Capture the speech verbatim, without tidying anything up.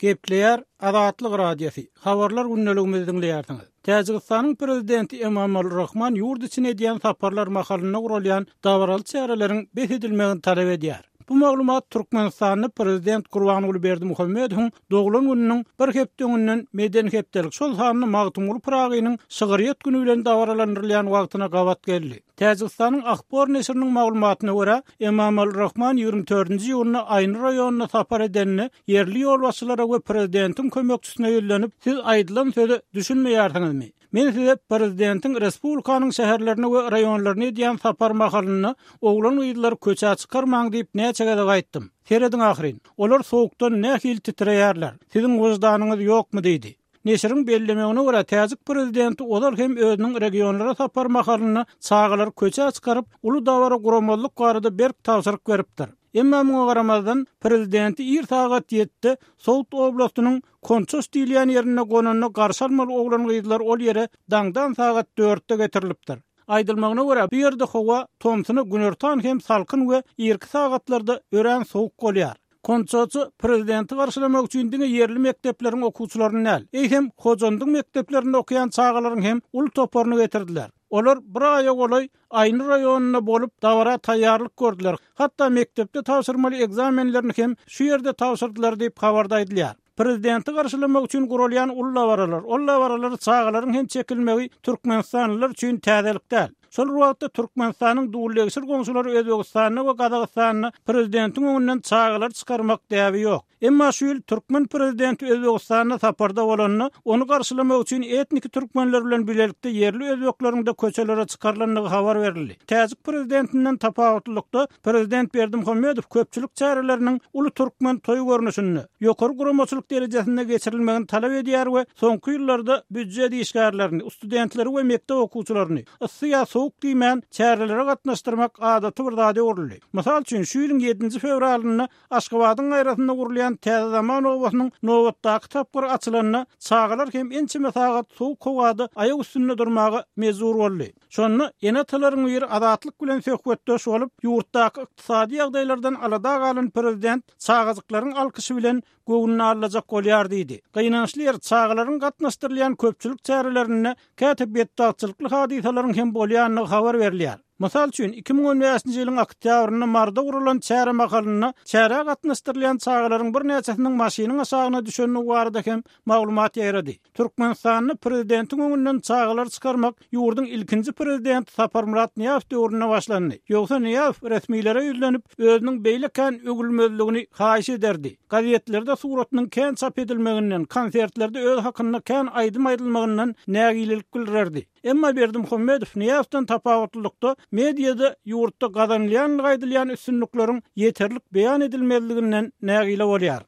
Gepleýär Azatlyk Radiosy. Habarlar gündeligimizi diňleýärsiňiz. Täjigistanyň prezidenti Emomali Rahmon ýurt içine edýän saparlar mahalynda guralýan dabaraly çäreleriň bes edilmegini talap edýär. Bu maglumat Türkmenistanda prezident Gurbanguly Berdimuhamedowyň doglan gününiň bir hepde öňünden medeni hepdelik şol sanda Magtymguly Pyragynyň şygryýet güni bilen dabaralandyrylýan wagtyna gabat geldi. Täjigistanyň Ahbor neşiriniň maglumatyna görä, Emomali Rahmon ýigrimi dördünji iýunda Aýny raýonyna sapar edeninde ýerli ýolbaşçylara we prezidentiň kömekçisine ýüzlenip, siz aýdylan söze düşünmeýärsiňizmi? Men size prezidentiň respublikanyň şäherlerine we raýonlaryna edýän sapar mahalynda oglan gyzlar köçä çykarmaň diýip näçe gezek aýtdym. Serediň ahyryn. Olar soğukdan nähili titreýärler. Siziň wyždanyňyz ýokmy diýdi. Neşiriň bellemegine görä Täjik prezidenti ozal hem özüniň regionlara sapar mahalynda çagalar köçä çykaryp, uly dabara guramazlyk barada berk tabşyryk beripdir. Emma muňa garamazdan prezidenti ir sagat ýetdi, Sowut oblastynyň Konços diýilýän ýerinde gonanda garşy almaly oglan gyzlar ol ýere daňdan sagat dörtde getirilipdir. Aýdylmagyna görä bu ýerde howa tomsuna günortan hem salkyn we irki sagatlarda örän sowuk bolýar. Konçoçy prezidenti garşylamak üçin diňe ýerli mekdepleriň okuwçylaryny däl, eýsem Hojandyň mekdeplerinde okaýan çagalaryň hem uly toparyny getirdiler. Olar bir aýa golaý Aýny raýonynda bolup dabara taýýarlyk gördüler. Hatda mekdepde tabşyrmaly egzamenlerini hem şu ýerde tabşyrdylar diýip habarda aýdylýar. Prezidenti garşylamak üçin guralýan uly dabaralar, ol dabaralar çagalaryň hem çekilmegi Türkmenistanlylar üçin täzelik däl. Şol wagtda Türkmenistanyň dullegşir goňşulary Özbegistanda we Gazagystanda prezidentiň öňünden çagalar çykarmak däbi ýok. Emma şu ýyl Türkmen prezidenti Özbegistanda saparda bolanda, ony garşylamak üçin etnik türkmenler bilen birlikde ýerli özbekleriň de köçelere çykarylandygy habar berildi. Täjik prezidentinden tapawutlylykda prezident Berdimuhamedow köpçülik çäreleriniň uly türkmen toý görnüşinde ýokary guramaçylyk derejesinde geçirilmegini talap edýär we soňky ýyllarda býujet işgärlerini, studentleri we mekdep okuwçylaryny yssy ýa sowuk diýmän çärelere gatnaşdyrmak adaty bir zada öwrüldi. Mysal üçin şu ýylyň ýedinji fewralynda Aşgabadyň gaýrasynda gurulýan Täze Zaman obasynyň nobatdaky tapgyry açylanda çagalar hem ençeme sagat sowuk howada aýak üstünde durmaga mejbur boldy. Şonda ene-atalaryň biri azatlyk bilen söhbetdeş bolup, ýurtdaky ykdysady ýagdaýlardan alada galan prezident çagajyklaryň alkyşy bilen göwnüni alajak bolýar diýdi. Gynançly ýer çagalaryň gatnaşdyrylýan köpçülik çärelerinde käte betbagtçylykly hadysalaryň hem bolýandygy habar berilýär. Mysal üçin iki müň on bäşinji ýylyň oktýabrynda Marda gurulan çäre mahalynda çärä gatnaşdyrylýan çagalaryň birnäçesiniň maşynyň aşagyna düşendigi barada hem maglumat ýaýrady. Türkmenistanda prezidentiň öňünden çagalar çykarmak ýurduň ilkinji prezidenti Saparmyrat Nyýazow döwründe başlandy. Ýogsa Nyýazow resmilere ýüzlenip, özüniň beýle kän öwülmezligini haýyş ederdi. Gazetlerde suratynyň kän çap edilmeginden, konsertlerde öz hakynda kän aýdym aýdylmagyndan nägilelik bildirerdi. Emma Berdimuhamedow Nyýazowdan tapawutlylykda mediada ýurtda gazanylýan aýdylýan üstünlikleriň ýeterlik beýan edilmezliginden nägile bolýar.